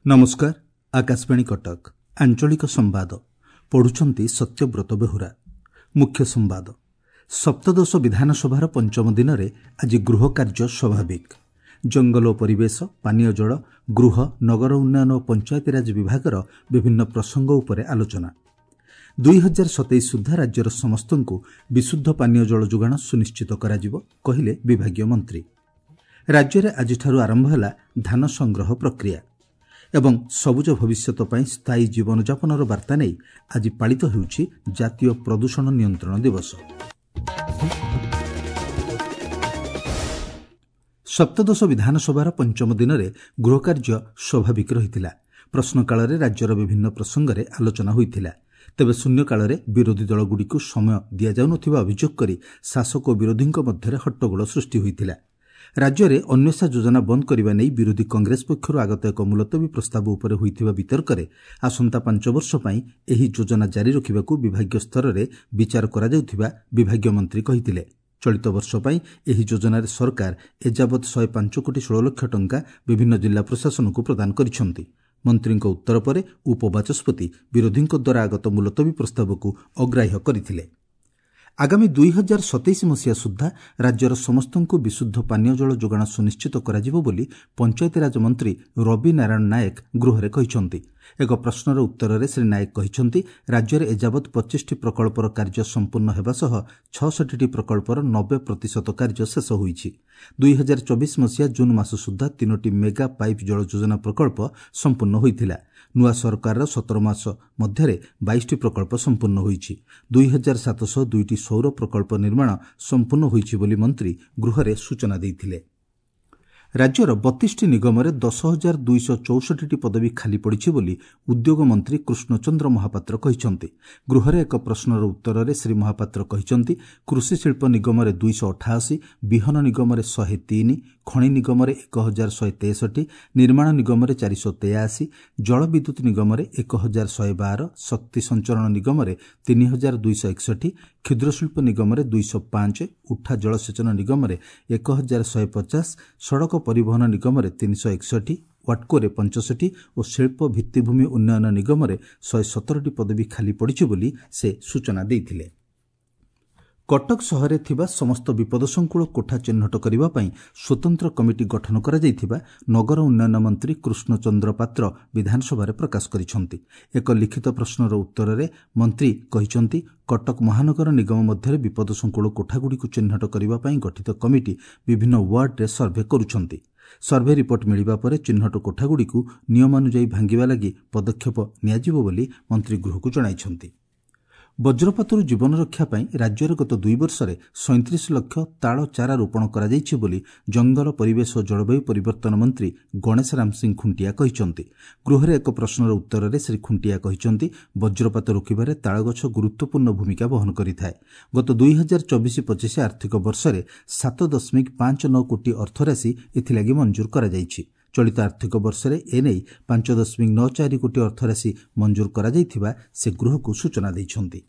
ନମସ୍କାର, ଆକାଶବାଣୀ କଟକ, ଆଞ୍ଚଳିକ ସମ୍ବାଦ ପଢୁଛନ୍ତି ସତ୍ୟବ୍ରତ ବେହୁରା। ମୁଖ୍ୟ ସମ୍ବାଦ। ସପ୍ତଦଶ ବିଧାନସଭାର ପଞ୍ଚମ ଦିନରେ ଆଜି ଗୃହ କାର୍ଯ୍ୟ ସ୍ୱାଭାବିକ। ଜଙ୍ଗଲ ଓ ପରିବେଶ, ପାନୀୟ ଜଳ, ଗୃହ, ନଗର ଉନ୍ନୟନ ଓ ପଞ୍ଚାୟତିରାଜ ବିଭାଗର ବିଭିନ୍ନ ପ୍ରସଙ୍ଗ ଉପରେ ଆଲୋଚନା। 2027 ସୁଦ୍ଧା ରାଜ୍ୟର ସମସ୍ତଙ୍କୁ ବିଶୁଦ୍ଧ ପାନୀୟ ଜଳ ଯୋଗାଣ ସୁନିଶ୍ଚିତ କରାଯିବ, କହିଲେ ବିଭାଗୀୟ ମନ୍ତ୍ରୀ। ରାଜ୍ୟରେ ଆଜିଠାରୁ ଆରମ୍ଭ ହେଲା ଧାନ ସଂଗ୍ରହ ପ୍ରକ୍ରିୟା। ଏବଂ ସବୁଜ ଭବିଷ୍ୟତ ପାଇଁ ସ୍ଥାୟୀ ଜୀବନଯାପନର ବାର୍ତ୍ତା ନେଇ ଆଜି ପାଳିତ ହେଉଛି ଜାତୀୟ ପ୍ରଦୂଷଣ ନିୟନ୍ତ୍ରଣ ଦିବସ। ସପ୍ତଦଶ ବିଧାନସଭାର ପଞ୍ଚମ ଦିନରେ ଗୃହକାର୍ଯ୍ୟ ସ୍ୱାଭାବିକ ରହିଥିଲା। ପ୍ରଶ୍ନକାଳରେ ରାଜ୍ୟର ବିଭିନ୍ନ ପ୍ରସଙ୍ଗରେ ଆଲୋଚନା ହୋଇଥିଲା। ତେବେ ଶୂନ୍ୟକାଳରେ ବିରୋଧୀ ଦଳଗୁଡ଼ିକୁ ସମୟ ଦିଆଯାଉନଥିବା ଅଭିଯୋଗ କରି ଶାସକ ଓ ବିରୋଧୀଙ୍କ ମଧ୍ୟରେ ହଟ୍ଟଗୋଳ ସୃଷ୍ଟି ହୋଇଥିଲା। ରାଜ୍ୟରେ ଅନ୍ୱେଷା ଯୋଜନା ବନ୍ଦ କରିବା ନେଇ ବିରୋଧୀ କଂଗ୍ରେସ ପକ୍ଷରୁ ଆଗତ ଏକ ମୁଲତବୀ ପ୍ରସ୍ତାବ ଉପରେ ହୋଇଥିବା ବିତର୍କରେ ଆସନ୍ତା 5 ବର୍ଷ ପାଇଁ ଏହି ଯୋଜନା ଜାରି ରଖିବାକୁ ବିଭାଗୀୟ ସ୍ତରରେ ବିଚାର କରାଯାଉଥିବା ବିଭାଗୀୟ ମନ୍ତ୍ରୀ କହିଥିଲେ। ଚଳିତ ବର୍ଷ ପାଇଁ ଏହି ଯୋଜନାରେ ସରକାର ଏଯାବତ୍ 105 କୋଟି 16 ଲକ୍ଷ ଟଙ୍କା ବିଭିନ୍ନ ଜିଲ୍ଲା ପ୍ରଶାସନକୁ ପ୍ରଦାନ କରିଛନ୍ତି। ମନ୍ତ୍ରୀଙ୍କ ଉତ୍ତର ପରେ ଉପବାଚସ୍ପତି ବିରୋଧୀଙ୍କ ଦ୍ୱାରା ଆଗତ ମୁଲତବୀ ପ୍ରସ୍ତାବକୁ ଅଗ୍ରାହ୍ୟ କରିଥିଲେ। ଆଗାମୀ 2027 ମସିହା ସୁଦ୍ଧା ରାଜ୍ୟର ସମସ୍ତଙ୍କୁ ବିଶୁଦ୍ଧ ପାନୀୟ ଜଳ ଯୋଗାଣ ସୁନିଶ୍ଚିତ କରାଯିବ ବୋଲି ପଞ୍ଚାୟତିରାଜ ମନ୍ତ୍ରୀ ରବି ନାରାୟଣ ନାୟକ ଗୃହରେ କହିଛନ୍ତି। ଏକ ପ୍ରଶ୍ନର ଉତ୍ତରରେ ଶ୍ରୀ ନାୟକ କହିଛନ୍ତି, ରାଜ୍ୟରେ ଏଯାବତ୍ 25ଟି ପ୍ରକଳ୍ପର କାର୍ଯ୍ୟ ସମ୍ପୂର୍ଣ୍ଣ ହେବା ସହ 66ଟି ପ୍ରକଳ୍ପର 90% କାର୍ଯ୍ୟ ଶେଷ ହୋଇଛି। 2024 ମସିହା ଜୁନ୍ ମାସ ସୁଦ୍ଧା 3ଟି ମେଗା ପାଇପ୍ ଜଳ ଯୋଜନା ପ୍ରକଳ୍ପ ସମ୍ପୂର୍ଣ୍ଣ ହୋଇଥିଲା। ନୂଆ ସରକାରର 17 ମାସ ମଧ୍ୟରେ 22ଟି ପ୍ରକଳ୍ପ ସମ୍ପୂର୍ଣ୍ଣ ହୋଇଛି। 2702ଟି ସୌର ପ୍ରକଳ୍ପ ନିର୍ମାଣ ସମ୍ପୂର୍ଣ୍ଣ ହୋଇଛି ବୋଲି ମନ୍ତ୍ରୀ ଗୃହରେ ସୂଚନା ଦେଇଥିଲେ। ରାଜ୍ୟର 32ଟି ନିଗମରେ 10,264ଟି ପଦବୀ ଖାଲି ପଡ଼ିଛି ବୋଲି ଉଦ୍ୟୋଗ ମନ୍ତ୍ରୀ କୃଷ୍ଣଚନ୍ଦ୍ର ମହାପାତ୍ର କହିଛନ୍ତି। ଗୃହରେ ଏକ ପ୍ରଶ୍ନର ଉତ୍ତରରେ ଶ୍ରୀ ମହାପାତ୍ର କହିଛନ୍ତି, କୃଷି ଶିଳ୍ପ ନିଗମରେ 288, ବିହନ ନିଗମରେ 103, ଖଣି ନିଗମରେ 1163, ନିର୍ମାଣ ନିଗମରେ 483, ଜଳବିଦ୍ୟୁତ୍ ନିଗମରେ 1112, ଶକ୍ତି ସଞ୍ଚରଣ ନିଗମରେ 3261, କ୍ଷୁଦ୍ରଶିଳ୍ପ ନିଗମରେ 205, ଉଠା ଜଳସେଚନ ନିଗମରେ 1150, ସଡ଼କ ପରିବହନ ନିଗମରେ 361, ୱାଟ୍କୋରେ 65 ଓ ଶିଳ୍ପ ଭିତ୍ତିଭୂମି ଉନ୍ନୟନ ନିଗମରେ 117ଟି ପଦବୀ ଖାଲି ପଡ଼ିଛି ବୋଲି ସେ ସୂଚନା ଦେଇଥିଲେ। କଟକ ସହରରେ ଥିବା ସମସ୍ତ ବିପଦସଂକୁଳ କୋଠା ଚିହ୍ନଟ କରିବା ପାଇଁ ସ୍ୱତନ୍ତ୍ର କମିଟି ଗଠନ କରାଯାଇଥିବା ନଗର ଉନ୍ନୟନ ମନ୍ତ୍ରୀ କୃଷ୍ଣଚନ୍ଦ୍ର ପାତ୍ର ବିଧାନସଭାରେ ପ୍ରକାଶ କରିଛନ୍ତି। ଏକ ଲିଖିତ ପ୍ରଶ୍ନର ଉତ୍ତରରେ ମନ୍ତ୍ରୀ କହିଛନ୍ତି, କଟକ ମହାନଗର ନିଗମ ମଧ୍ୟରେ ବିପଦସଂକୁଳ କୋଠାଗୁଡ଼ିକୁ ଚିହ୍ନଟ କରିବା ପାଇଁ ଗଠିତ କମିଟି ବିଭିନ୍ନ ୱାର୍ଡରେ ସର୍ଭେ କରୁଛନ୍ତି। ସର୍ଭେ ରିପୋର୍ଟ ମିଳିବା ପରେ ଚିହ୍ନଟ କୋଠାଗୁଡ଼ିକୁ ନିୟମାନୁଯାୟୀ ଭାଙ୍ଗିବା ଲାଗି ପଦକ୍ଷେପ ନିଆଯିବ ବୋଲି ମନ୍ତ୍ରୀ ଗୃହକୁ ଜଣାଇଛନ୍ତି। ବଜ୍ରପାତରୁ ଜୀବନ ରକ୍ଷା ପାଇଁ ରାଜ୍ୟରେ ଗତ 2 ବର୍ଷରେ 37 ଲକ୍ଷ ତାଳ ଚାରା ରୋପଣ କରାଯାଇଛି ବୋଲି ଜଙ୍ଗଲ, ପରିବେଶ ଓ ଜଳବାୟୁ ପରିବର୍ତ୍ତନ ମନ୍ତ୍ରୀ ଗଣେଶ ରାମ ସିଂ ଖୁଣ୍ଟିଆ କହିଛନ୍ତି। ଗୃହରେ ଏକ ପ୍ରଶ୍ନର ଉତ୍ତରରେ ଶ୍ରୀ ଖୁଣ୍ଟିଆ କହିଛନ୍ତି, ବଜ୍ରପାତ ରୋକିବାରେ ତାଳଗଛ ଗୁରୁତ୍ୱପୂର୍ଣ୍ଣ ଭୂମିକା ବହନ କରିଥାଏ। ଗତ 2024-25 ଆର୍ଥିକ ବର୍ଷରେ 7.59 କୋଟି ଅର୍ଥରାଶି ଏଥିଲାଗି ମଞ୍ଜୁର କରାଯାଇଛି। ଚଳିତ ଆର୍ଥିକ ବର୍ଷରେ ଏନେଇ 5.94 କୋଟି ଅର୍ଥରାଶି ମଞ୍ଜୁର କରାଯାଇଥିବା ସେ ଗୃହକୁ ସୂଚନା ଦେଇଛନ୍ତି।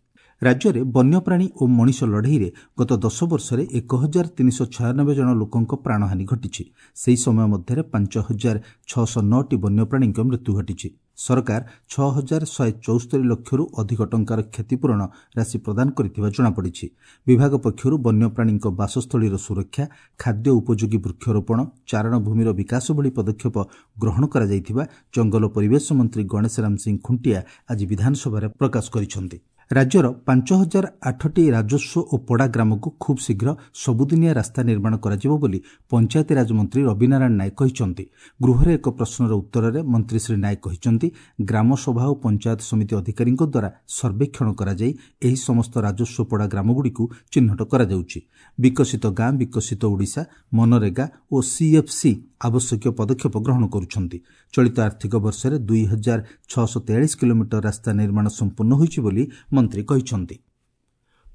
ରାଜ୍ୟରେ ବନ୍ୟପ୍ରାଣୀ ଓ ମଣିଷ ଲଢ଼େଇରେ ଗତ 10 ବର୍ଷରେ 1396 ଜଣ ଲୋକଙ୍କ ପ୍ରାଣହାନି ଘଟିଛି। ସେହି ସମୟ ମଧ୍ୟରେ 5609ଟି ବନ୍ୟପ୍ରାଣୀଙ୍କ ମୃତ୍ୟୁ ଘଟିଛି। ସରକାର 6174 ଲକ୍ଷରୁ ଅଧିକ ଟଙ୍କାର କ୍ଷତିପୂରଣ ରାଶି ପ୍ରଦାନ କରିଥିବା ଜଣାପଡ଼ିଛି। ବିଭାଗ ପକ୍ଷରୁ ବନ୍ୟପ୍ରାଣୀଙ୍କ ବାସସ୍ଥଳୀର ସୁରକ୍ଷା, ଖାଦ୍ୟ ଉପଯୋଗୀ ବୃକ୍ଷରୋପଣ, ଚାରଣ ଭୂମିର ବିକାଶ ଭଳି ପଦକ୍ଷେପ ଗ୍ରହଣ କରାଯାଇଥିବା ଜଙ୍ଗଲ ପରିବେଶ ମନ୍ତ୍ରୀ ଗଣେଶ ରାମ ସିଂ ଖୁଣ୍ଟିଆ ଆଜି ବିଧାନସଭାରେ ପ୍ରକାଶ କରିଛନ୍ତି। ରାଜ୍ୟର 5008ଟି ରାଜସ୍ୱ ଓ ପଡ଼ା ଗ୍ରାମକୁ ଖୁବ୍ ଶୀଘ୍ର ସବୁଦିନିଆ ରାସ୍ତା ନିର୍ମାଣ କରାଯିବ ବୋଲି ପଞ୍ଚାୟତିରାଜ ମନ୍ତ୍ରୀ ରବିନାରାୟଣ ନାୟକ କହିଛନ୍ତି। ଗୃହରେ ଏକ ପ୍ରଶ୍ନର ଉତ୍ତରରେ ମନ୍ତ୍ରୀ ଶ୍ରୀ ନାୟକ କହିଛନ୍ତି, ଗ୍ରାମସଭା ଓ ପଞ୍ଚାୟତ ସମିତି ଅଧିକାରୀଙ୍କ ଦ୍ୱାରା ସର୍ବେକ୍ଷଣ କରାଯାଇ ଏହି ସମସ୍ତ ରାଜସ୍ୱ ପଡ଼ା ଗ୍ରାମଗୁଡ଼ିକୁ ଚିହ୍ନଟ କରାଯାଉଛି। ବିକଶିତ ଗାଁ, ବିକଶିତ ଓଡ଼ିଶା, ମନରେଗା ଓ ସିଏଫ୍ସି ଆବଶ୍ୟକୀୟ ପଦକ୍ଷେପ ଗ୍ରହଣ କରୁଛନ୍ତି। ଚଳିତ ଆର୍ଥିକ ବର୍ଷରେ 2643 କିଲୋମିଟର ରାସ୍ତା ନିର୍ମାଣ ସମ୍ପୂର୍ଣ୍ଣ ହୋଇଛି ବୋଲି ମନ୍ତ୍ରୀ କହିଛନ୍ତି।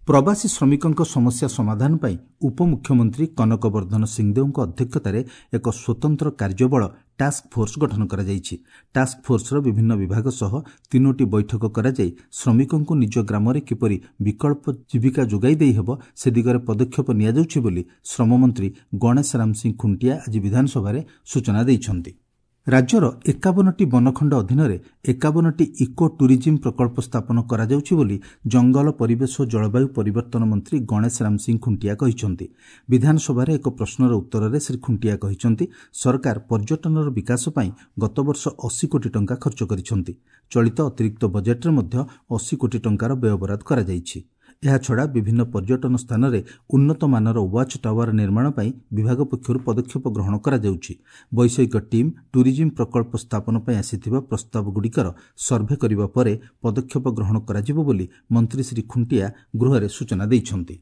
ପ୍ରବାସୀ ଶ୍ରମିକଙ୍କ ସମସ୍ୟା ସମାଧାନ ପାଇଁ ଉପମୁଖ୍ୟମନ୍ତ୍ରୀ କନକ ବର୍ଦ୍ଧନ ସିଂଦେଓଙ୍କ ଅଧ୍ୟକ୍ଷତାରେ ଏକ ସ୍ୱତନ୍ତ୍ର କାର୍ଯ୍ୟବଳ ଟାସ୍କ ଫୋର୍ସ ଗଠନ କରାଯାଇଛି। ଟାସ୍କ ଫୋର୍ସର ବିଭିନ୍ନ ବିଭାଗ ସହ 3ଟି ବୈଠକ କରାଯାଇ ଶ୍ରମିକଙ୍କୁ ନିଜ ଗ୍ରାମରେ କିପରି ବିକଳ୍ପ ଜୀବିକା ଯୋଗାଇ ଦେଇହେବ ସେ ଦିଗରେ ପଦକ୍ଷେପ ନିଆଯାଉଛି ବୋଲି ଶ୍ରମମନ୍ତ୍ରୀ ଗଣେଶ ରାମ ସିଂ ଖୁଣ୍ଟିଆ ଆଜି ବିଧାନସଭାରେ ସୂଚନା ଦେଇଛନ୍ତି। ରାଜ୍ୟର 51ଟି ବନଖଣ୍ଡ ଅଧୀନରେ 51ଟି ଇକୋ ଟୁରିଜିମ୍ ପ୍ରକଳ୍ପ ସ୍ଥାପନ କରାଯାଉଛି ବୋଲି ଜଙ୍ଗଲ, ପରିବେଶ ଓ ଜଳବାୟୁ ପରିବର୍ତ୍ତନ ମନ୍ତ୍ରୀ ଗଣେଶ ରାମ ସିଂ ଖୁଣ୍ଟିଆ କହିଛନ୍ତି। ବିଧାନସଭାରେ ଏକ ପ୍ରଶ୍ନର ଉତ୍ତରରେ ଶ୍ରୀ ଖୁଣ୍ଟିଆ କହିଛନ୍ତି, ସରକାର ପର୍ଯ୍ୟଟନର ବିକାଶ ପାଇଁ ଗତବର୍ଷ 80 କୋଟି ଟଙ୍କା ଖର୍ଚ୍ଚ କରିଛନ୍ତି। ଚଳିତ ଅତିରିକ୍ତ ବଜେଟ୍ରେ ମଧ୍ୟ 80 କୋଟି ଟଙ୍କାର ବ୍ୟୟବରାଦ କରାଯାଇଛି। ଏହାଛଡ଼ା ବିଭିନ୍ନ ପର୍ଯ୍ୟଟନ ସ୍ଥାନରେ ଉନ୍ନତମାନର ୱାଚ୍ ଟାୱାର ନିର୍ମାଣ ପାଇଁ ବିଭାଗ ପକ୍ଷରୁ ପଦକ୍ଷେପ ଗ୍ରହଣ କରାଯାଉଛି। ବୈଷୟିକ ଟିମ୍ ଟୁରିଜିମ୍ ପ୍ରକଳ୍ପ ସ୍ଥାପନ ପାଇଁ ଆସିଥିବା ପ୍ରସ୍ତାବଗୁଡ଼ିକର ସର୍ଭେ କରିବା ପରେ ପଦକ୍ଷେପ ଗ୍ରହଣ କରାଯିବ ବୋଲି ମନ୍ତ୍ରୀ ଶ୍ରୀ ଖୁଣ୍ଟିଆ ଗୃହରେ ସୂଚନା ଦେଇଛନ୍ତି।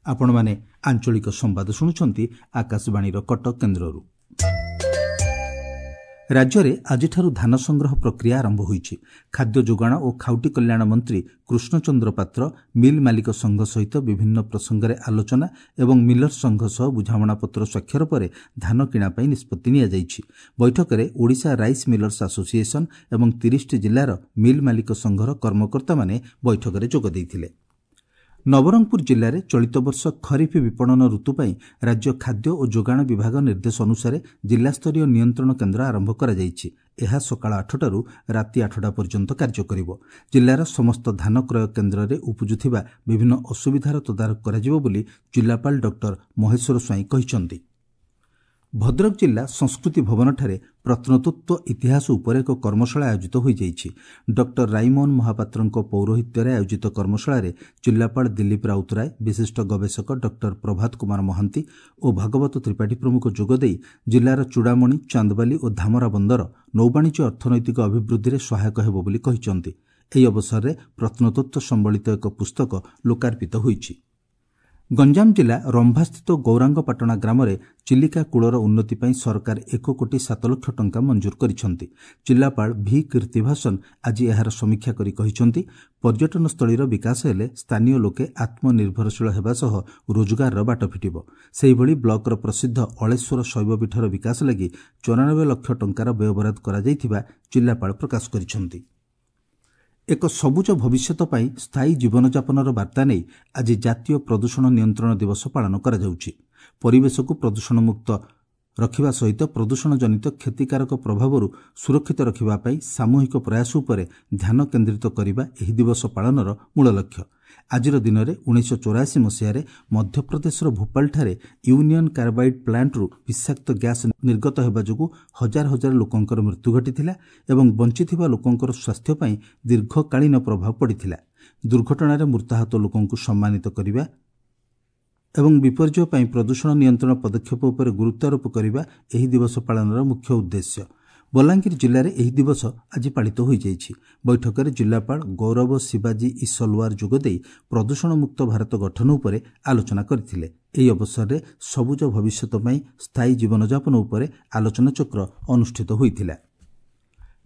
ଆପଣମାନେ ଆଞ୍ଚଳିକ ସମ୍ବାଦ ଶୁଣୁଛନ୍ତି ଆକାଶବାଣୀର କଟକ କେନ୍ଦ୍ରରୁ। ରାଜ୍ୟରେ ଆଜିଠାରୁ ଧାନ ସଂଗ୍ରହ ପ୍ରକ୍ରିୟା ଆରମ୍ଭ ହୋଇଛି। ଖାଦ୍ୟ ଯୋଗାଣ ଓ ଖାଉଟି କଲ୍ୟାଣ ମନ୍ତ୍ରୀ କୃଷ୍ଣଚନ୍ଦ୍ର ପାତ୍ର ମିଲ୍ ମାଲିକ ସଂଘ ସହିତ ବିଭିନ୍ନ ପ୍ରସଙ୍ଗରେ ଆଲୋଚନା ଏବଂ ମିଲର୍ସ ସଂଘ ସହ ବୁଝାମଣାପତ୍ର ସ୍ୱାକ୍ଷର ପରେ ଧାନ କିଣା ପାଇଁ ନିଷ୍ପତ୍ତି ନିଆଯାଇଛି। ବୈଠକରେ ଓଡ଼ିଶା ରାଇସ୍ ମିଲର୍ସ ଆସୋସିଏସନ୍ ଏବଂ 30ଟି ଜିଲ୍ଲାର ମିଲ୍ ମାଲିକ ସଂଘର କର୍ମକର୍ତ୍ତାମାନେ ବୈଠକରେ ଯୋଗ ଦେଇଥିଲେ। ନବରଙ୍ଗପୁର ଜିଲ୍ଲାରେ ଚଳିତ ବର୍ଷ ଖରିଫ ବିପଣନ ଋତୁ ପାଇଁ ରାଜ୍ୟ ଖାଦ୍ୟ ଓ ଯୋଗାଣ ବିଭାଗ ନିର୍ଦ୍ଦେଶ ଅନୁସାରେ ଜିଲ୍ଲାସ୍ତରୀୟ ନିୟନ୍ତ୍ରଣ କେନ୍ଦ୍ର ଆରମ୍ଭ କରାଯାଇଛି। ଏହା ସକାଳ 8ଟାରୁ ରାତି 8ଟା ପର୍ଯ୍ୟନ୍ତ କାର୍ଯ୍ୟ କରିବ। ଜିଲ୍ଲାର ସମସ୍ତ ଧାନ କ୍ରୟ କେନ୍ଦ୍ରରେ ଉପୁଜୁଥିବା ବିଭିନ୍ନ ଅସୁବିଧାର ତଦାରଖ କରାଯିବ ବୋଲି ଜିଲ୍ଲାପାଳ ଡକ୍ଟର ମହେଶ୍ୱର ସ୍ୱାଇଁ କହିଛନ୍ତି। ଭଦ୍ରକ ଜିଲ୍ଲା ସଂସ୍କୃତି ଭବନଠାରେ ପ୍ରତ୍ନତତ୍ତ୍ୱ ଇତିହାସ ଉପରେ ଏକ କର୍ମଶାଳା ଆୟୋଜିତ ହୋଇଯାଇଛି। ଡକ୍ଟର ରାଇମୋହନ ମହାପାତ୍ରଙ୍କ ପୌରୋହିତ୍ୟରେ ଆୟୋଜିତ କର୍ମଶାଳାରେ ଜିଲ୍ଲାପାଳ ଦିଲ୍ଲୀପ ରାଉତରାୟ, ବିଶିଷ୍ଟ ଗବେଷକ ଡକ୍ଟର ପ୍ରଭାତ କୁମାର ମହାନ୍ତି ଓ ଭାଗବତ ତ୍ରିପାଠୀ ପ୍ରମୁଖ ଯୋଗଦେଇ ଜିଲ୍ଲାର ଚୂଡ଼ାମଣି, ଚାନ୍ଦବାଲି ଓ ଧାମରା ବନ୍ଦର ନୌବାଣିଜ୍ୟ ଅର୍ଥନୈତିକ ଅଭିବୃଦ୍ଧିରେ ସହାୟକ ହେବ ବୋଲି କହିଛନ୍ତି। ଏହି ଅବସରରେ ପ୍ରତ୍ନତତ୍ତ୍ୱ ସମ୍ବଳିତ ଏକ ପୁସ୍ତକ ଲୋକାର୍ପିତ ହୋଇଛି। ଗଞ୍ଜାମ ଜିଲ୍ଲା ରମ୍ଭାସ୍ଥିତ ଗୌରାଙ୍ଗପାଟଣା ଗ୍ରାମରେ ଚିଲିକା କୂଳର ଉନ୍ନତି ପାଇଁ ସରକାର 1 କୋଟି 7 ଲକ୍ଷ ଟଙ୍କା ମଞ୍ଜୁର କରିଛନ୍ତି। ଜିଲ୍ଲାପାଳ ଭି କୀର୍ତ୍ତିଭାସନ ଆଜି ଏହାର ସମୀକ୍ଷା କରି କହିଛନ୍ତି, ପର୍ଯ୍ୟଟନସ୍ଥଳୀର ବିକାଶ ହେଲେ ସ୍ଥାନୀୟ ଲୋକେ ଆତ୍ମନିର୍ଭରଶୀଳ ହେବା ସହ ରୋଜଗାରର ବାଟ ଫିଟିବ। ସେହିଭଳି ବ୍ଲକର ପ୍ରସିଦ୍ଧ ଅଳେଶ୍ୱର ଶୈବପୀଠର ବିକାଶ ଲାଗି 94 ଲକ୍ଷ ଟଙ୍କାର ବ୍ୟୟବରାଦ କରାଯାଇଥିବା ଜିଲ୍ଲାପାଳ ପ୍ରକାଶ କରିଛନ୍ତି। ଏକ ସବୁଜ ଭବିଷ୍ୟତ ପାଇଁ ସ୍ଥାୟୀ ଜୀବନଯାପନର ବାର୍ତ୍ତା ନେଇ ଆଜି ଜାତୀୟ ପ୍ରଦୂଷଣ ନିୟନ୍ତ୍ରଣ ଦିବସ ପାଳନ କରାଯାଉଛି। ପରିବେଶକୁ ପ୍ରଦୂଷଣମୁକ୍ତ ରଖିବା ସହିତ ପ୍ରଦୂଷଣ ଜନିତ କ୍ଷତିକାରକ ପ୍ରଭାବରୁ ସୁରକ୍ଷିତ ରଖିବା ପାଇଁ ସାମୂହିକ ପ୍ରୟାସ ଉପରେ ଧ୍ୟାନ କେନ୍ଦ୍ରିତ କରିବା ଏହି ଦିବସ ପାଳନର ମୂଳ ଲକ୍ଷ୍ୟ। ଆଜିର ଦିନରେ 1984 ମସିହାରେ ମଧ୍ୟପ୍ରଦେଶର ଭୋପାଳଠାରେ ୟୁନିୟନ୍ କାର୍ବାଇଡ୍ ପ୍ଲାଣ୍ଟରୁ ବିଷାକ୍ତ ଗ୍ୟାସ୍ ନିର୍ଗତ ହେବା ଯୋଗୁଁ ହଜାର ହଜାର ଲୋକଙ୍କର ମୃତ୍ୟୁ ଘଟିଥିଲା ଏବଂ ବଞ୍ଚିଥିବା ଲୋକଙ୍କର ସ୍ୱାସ୍ଥ୍ୟ ପାଇଁ ଦୀର୍ଘକାଳୀନ ପ୍ରଭାବ ପଡ଼ିଥିଲା। ଦୁର୍ଘଟଣାରେ ମୃତାହତ ଲୋକଙ୍କୁ ସମ୍ମାନିତ କରିବା ଏବଂ ବିପର୍ଯ୍ୟୟ ପାଇଁ ପ୍ରଦୂଷଣ ନିୟନ୍ତ୍ରଣ ପଦକ୍ଷେପ ଉପରେ ଗୁରୁତ୍ୱାରୋପ କରିବା ଏହି ଦିବସ ପାଳନର ମୁଖ୍ୟ ଉଦ୍ଦେଶ୍ୟ। ବଲାଙ୍ଗୀର ଜିଲ୍ଲାରେ ଏହି ଦିବସ ଆଜି ପାଳିତ ହୋଇଯାଇଛି। ବୈଠକରେ ଜିଲ୍ଲାପାଳ ଗୌରବ ଶିବାଜୀ ଇସଲୱାର ଯୋଗଦେଇ ପ୍ରଦୂଷଣମୁକ୍ତ ଭାରତ ଗଠନ ଉପରେ ଆଲୋଚନା କରିଥିଲେ। ଏହି ଅବସରରେ ସବୁଜ ଭବିଷ୍ୟତ ପାଇଁ ସ୍ଥାୟୀ ଜୀବନଯାପନ ଉପରେ ଆଲୋଚନାଚକ୍ର ଅନୁଷ୍ଠିତ ହୋଇଥିଲା।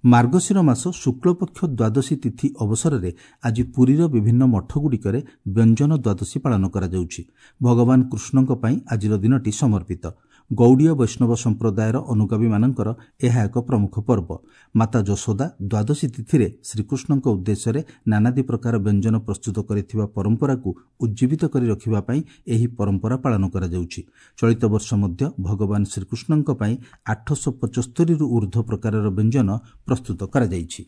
ମାର୍ଗଶିର ମାସ ଶୁକ୍ଳପକ୍ଷ ଦ୍ୱାଦଶୀ ତିଥି ଅବସରରେ ଆଜି ପୁରୀର ବିଭିନ୍ନ ମଠଗୁଡ଼ିକରେ ବ୍ୟଞ୍ଜନ ଦ୍ୱାଦଶୀ ପାଳନ କରାଯାଉଛି। ଭଗବାନ କୃଷ୍ଣଙ୍କ ପାଇଁ ଆଜିର ଦିନଟି ସମର୍ପିତ। ଗୌଡ଼ୀୟ ବୈଷ୍ଣବ ସମ୍ପ୍ରଦାୟର ଅନୁଗାମୀମାନଙ୍କର ଏହା ଏକ ପ୍ରମୁଖ ପର୍ବ। ମାତା ଯଶୋଦା ଦ୍ୱାଦଶୀ ତିଥିରେ ଶ୍ରୀକୃଷ୍ଣଙ୍କ ଉଦ୍ଦେଶ୍ୟରେ ନାନାଦି ପ୍ରକାର ବ୍ୟଞ୍ଜନ ପ୍ରସ୍ତୁତ କରିଥିବା ପରମ୍ପରାକୁ ଉଜ୍ଜୀବିତ କରି ରଖିବା ପାଇଁ ଏହି ପରମ୍ପରା ପାଳନ କରାଯାଉଛି। ଚଳିତ ବର୍ଷ ମଧ୍ୟ ଭଗବାନ ଶ୍ରୀକୃଷ୍ଣଙ୍କ ପାଇଁ 875ରୁ ଉର୍ଦ୍ଧ୍ୱ ପ୍ରକାରର ବ୍ୟଞ୍ଜନ ପ୍ରସ୍ତୁତ କରାଯାଇଛି।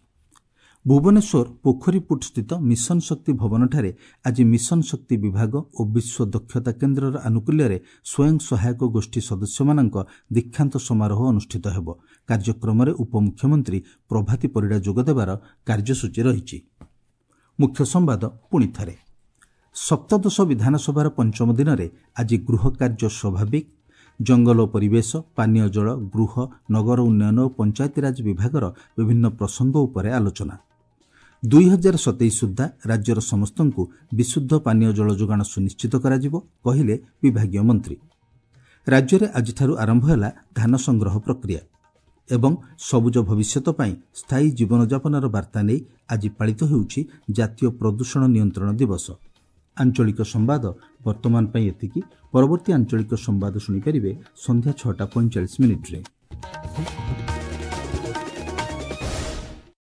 ଭୁବନେଶ୍ୱର ପୋଖରୀପୁଟ ସ୍ଥିତ ମିଶନ ଶକ୍ତି ଭବନଠାରେ ଆଜି ମିଶନ ଶକ୍ତି ବିଭାଗ ଓ ବିଶ୍ୱ ଦକ୍ଷତା କେନ୍ଦ୍ରର ଆନୁକୂଲ୍ୟରେ ସ୍ୱୟଂ ସହାୟକ ଗୋଷ୍ଠୀ ସଦସ୍ୟମାନଙ୍କ ଦୀକ୍ଷାନ୍ତ ସମାରୋହ ଅନୁଷ୍ଠିତ ହେବ। କାର୍ଯ୍ୟକ୍ରମରେ ଉପମୁଖ୍ୟମନ୍ତ୍ରୀ ପ୍ରଭାତୀ ପରିଡ଼ା ଯୋଗଦେବାର କାର୍ଯ୍ୟସୂଚୀ ରହିଛି। ମୁଖ୍ୟ ସମ୍ବାଦ ପୁଣି ଥରେ। ସପ୍ତଦଶ ବିଧାନସଭାର ପଞ୍ଚମ ଦିନରେ ଆଜି ଗୃହ କାର୍ଯ୍ୟ ସ୍ୱାଭାବିକ। ଜଙ୍ଗଲ ଓ ପରିବେଶ, ପାନୀୟ ଜଳ, ଗୃହ, ନଗର ଉନ୍ନୟନ ଓ ପଞ୍ଚାୟତିରାଜ ବିଭାଗର ବିଭିନ୍ନ ପ୍ରସଙ୍ଗ ଉପରେ ଆଲୋଚନା। 2027 ସୁଦ୍ଧା ରାଜ୍ୟର ସମସ୍ତଙ୍କୁ ବିଶୁଦ୍ଧ ପାନୀୟ ଜଳ ଯୋଗାଣ ସୁନିଶ୍ଚିତ କରାଯିବ, କହିଲେ ବିଭାଗୀୟ ମନ୍ତ୍ରୀ। ରାଜ୍ୟରେ ଆଜିଠାରୁ ଆରମ୍ଭ ହେଲା ଧାନ ସଂଗ୍ରହ ପ୍ରକ୍ରିୟା ଏବଂ ସବୁଜ ଭବିଷ୍ୟତ ପାଇଁ ସ୍ଥାୟୀ ଜୀବନଯାପନର ବାର୍ତ୍ତା ନେଇ ଆଜି ପାଳିତ ହେଉଛି ଜାତୀୟ ପ୍ରଦୂଷଣ ନିୟନ୍ତ୍ରଣ ଦିବସ। ଆଞ୍ଚଳିକ ସମ୍ବାଦ ବର୍ତ୍ତମାନ ପାଇଁ ଏତିକି। ପରବର୍ତ୍ତୀ ଆଞ୍ଚଳିକ ସମ୍ବାଦ ଶୁଣିପାରିବେ ସନ୍ଧ୍ୟା 6:45।